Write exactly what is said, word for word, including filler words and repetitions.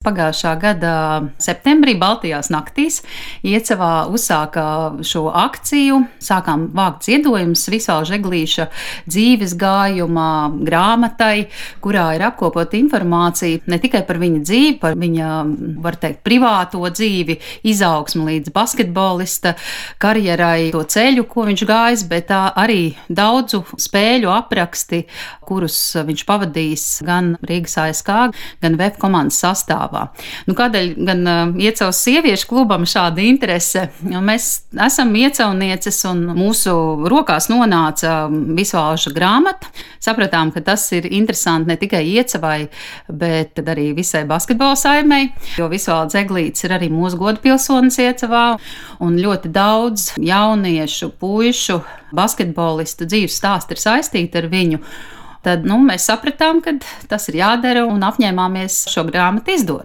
Pagājušā gada septembrī Baltijās naktīs Iecavā uzsāka šo akciju. Sākām vākt ziedojumus Visvalža Eglīša dzīves gājuma grāmatai, kurā ir apkopota informācija ne tikai par viņa dzīvi, par viņa, var teikt, privāto dzīvi, izaugsmu līdz basketbolista karjerai, to ceļu, ko viņš gājis, bet arī daudzu spēļu apraksti, kurus viņš pavadījis gan Rīgas A S K, gan V E F komandas sastāvā. Nu, kādēļ gan uh, Iecavas sieviešu klubam šāda interese? Mēs esam iecavnieces un mūsu rokās nonāca Visvalža grāmata. Sapratām, ka tas ir interesanti ne tikai Iecavai, bet arī visai basketbola saimei, jo Visvalds Eglītis ir arī mūsu godpilsonis Iecavā, un ļoti daudz jauniešu, puišu, basketbolistu dzīves stāsti ir saistīti ar viņu. Tad nu, mēs sapratām, ka tas ir jādara un apņēmāmies šo grāmatu izdot.